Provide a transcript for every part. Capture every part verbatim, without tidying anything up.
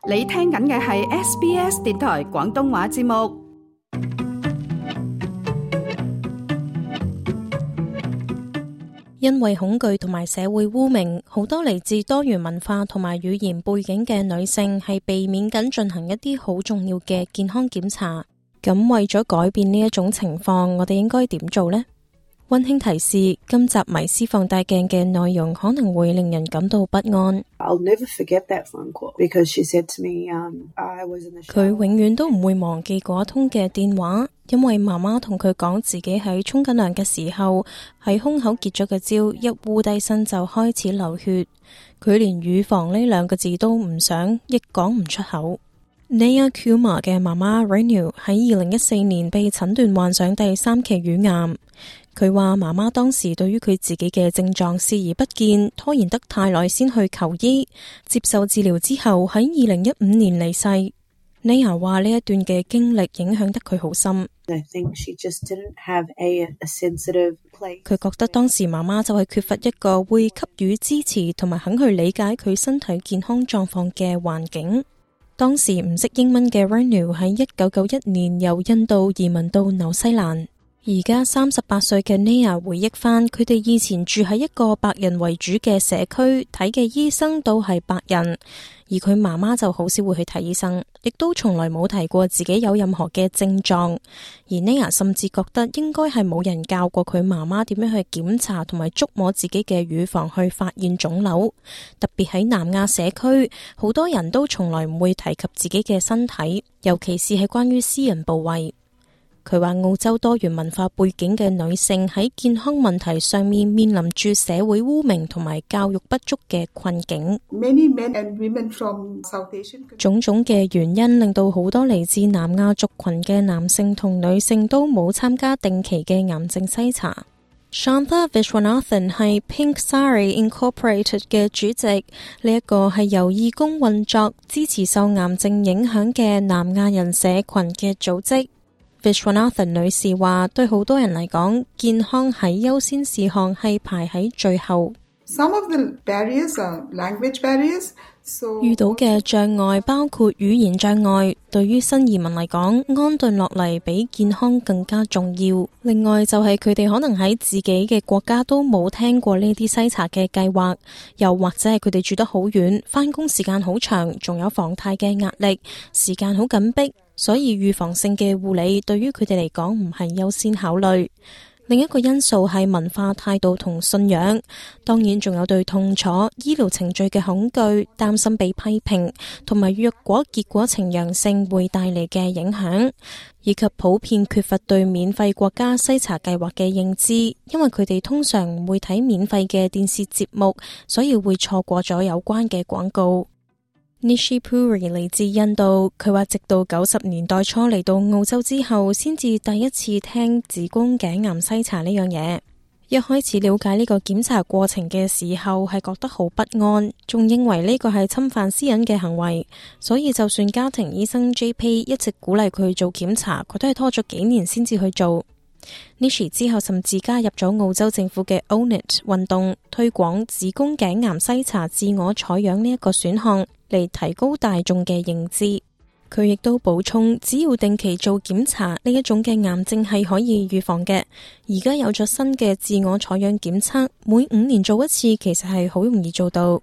你聽緊嘅係 S B S 電台廣東話節目。因為恐懼同埋社會污名，好多嚟自多元文化同埋語言背景嘅女性係避免緊進行一啲好重要嘅健康檢查。咁為咗改變呢一種情況，我哋應該點做呢？溫馨提示：今集迷思放大鏡嘅內容可能會令人感到不安。佢永遠都唔會忘記嗰通嘅電話，因為媽媽同佢講自己喺沖緊涼嘅時候喺胸口結咗個焦，一烏低身就開始流血。佢連乳房呢兩個字都唔想，亦講唔出口。Naya Kumar 嘅媽媽 Renu 喺二零一四年被診斷患上第三期乳癌。佢話媽媽當時對於佢自己嘅症狀視而不見，拖延得太耐先去求醫，接受治療之後喺二零一五年離世。Naya 話呢一段嘅經歷影響得佢好深。佢覺得當時媽媽就係缺乏一個會給予支持同埋肯去理解佢身體健康狀況嘅環境。當時唔識英文嘅 Renu 喺一九九一年由印度移民到紐西蘭。而家三十八歲嘅 Naya 回憶翻，佢哋以前住喺一個白人為主嘅社區，睇嘅醫生都係白人，而佢媽媽就好少會去睇醫生，亦都從來冇提過自己有任何嘅症狀。而 Naya 甚至覺得應該係冇人教過佢媽媽點樣去檢查同埋觸摸自己嘅乳房去發現腫瘤。特別喺南亞社區，好多人都從來唔會提及自己嘅身體，尤其是係關於私人部位。佢話澳洲多元文化背景嘅女性喺健康問題上面面臨住社會污名同埋教育不足嘅困境。種種嘅原因令到好多嚟自南亞族群嘅男性同女性都冇參加定期嘅癌症篩查。Shantha Vishwanathan 係 Pink Sari Incorporated 嘅主席，呢一個係由義工運作支持受癌症影響嘅南亞人社群嘅組織。Vishwanathan 女士話，對好多人嚟講，健康喺優先事項係排喺最後。Some of the barriers are language barriers. So 遇到嘅障礙包括語言障礙，對於新移民嚟講，安頓落嚟比健康更加重要。另外就係佢哋可能喺自己嘅國家都冇聽過呢啲篩查嘅計劃，又或者係佢哋住得好遠，返工時間好長，仲有房貸嘅壓力，時間好緊迫。所以預防性嘅護理對於佢哋嚟講唔係優先考慮。另一個因素係文化態度同信仰，當然仲有對痛楚、醫療程序嘅恐懼、擔心被批評，同埋若果結果呈陽性會帶嚟嘅影響，以及普遍缺乏對免費國家篩查計劃嘅認知，因為佢哋通常唔會睇免費嘅電視節目，所以會錯過咗有關嘅廣告。Nishi Puri 嚟自印度，佢話直到九十年代初嚟到澳洲之後，先至第一次聽子宮頸癌篩查呢樣嘢。一開始了解呢個檢查過程嘅時候，係覺得好不安，仲認為呢個係侵犯私隱嘅行為，所以就算家庭醫生 J P 一直鼓勵佢做檢查，佢都係拖咗幾年先至去做。Nishi 之後甚至加入咗澳洲政府嘅 Own It 運動，推廣子宮頸癌篩查自我採樣呢一個選項，嚟提高大眾嘅認知。佢亦都補充，只要定期做檢查，呢一種嘅癌症係可以預防嘅。而家有咗新嘅自我採樣檢測，每五年做一次，其實係好容易做到。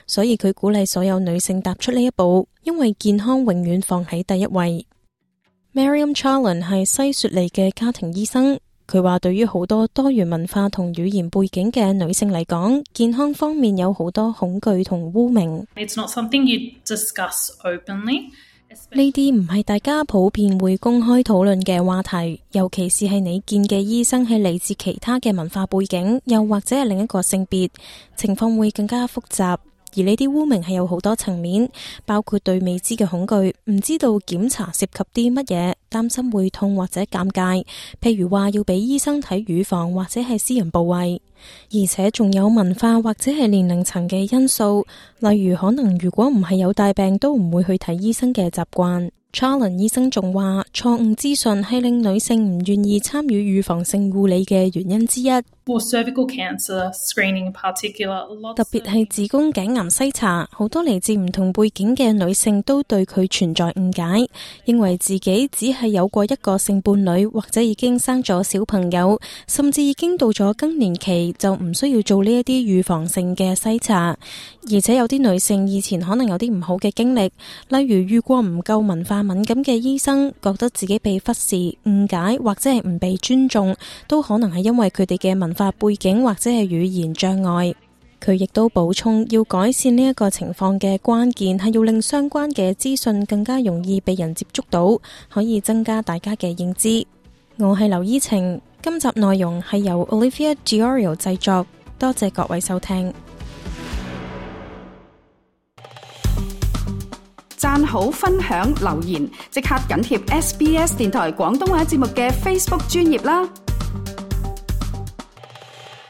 所以佢鼓勵所有女性踏出呢一步，因為健康永遠放喺第一位。Mariam Charlin 係西雪梨嘅家庭醫生，佢話對於好多多元文化同語言背景嘅女性嚟講，健康方面有好多恐懼同污名。It's not something you discuss openly. 呢啲唔係大家普遍會公開討論嘅話題，尤其是係你見嘅醫生係嚟自其他嘅文化背景，又或者係另一個性別，情況會更加複雜。而呢啲污名係有好多層面，包括對未知嘅恐懼，唔知道檢查涉及啲乜嘢，擔心會痛或者尷尬，譬如話要俾醫生睇乳房或者係私人部位，而且仲有文化或者係年齡層嘅因素，例如可能如果唔係有大病都唔會去睇醫生嘅習慣。Charlin 醫生仲話，錯誤資訊係令女性唔願意參與預防性護理嘅原因之一。or cervical cancer screening in particular. 特別係子宮頸癌篩查，好多嚟自唔同背景嘅女性都對佢存在誤解，認為自己只係有過一個性伴侶，或者已經生咗小朋友，甚至已經到咗更年期，就唔需要做呢一啲預防性嘅篩查。而且有啲女性以前可能有啲唔好嘅經歷，例如遇過唔夠文化敏感嘅醫生，覺得自己被忽視、誤解或者係唔被尊重，都可能係因為佢哋嘅文化背景或者係語言障礙。佢亦都補充，要改善呢一個情況嘅關鍵係要令相關嘅資訊更加容易被人接觸到，可以增加大家嘅認知。我係劉依晴，今集內容係由 Olivia Giorio 製作，多謝各位收聽。讚好、分享、留言，即刻緊貼 S B S 電台廣東話節目嘅 Facebook 專頁啦！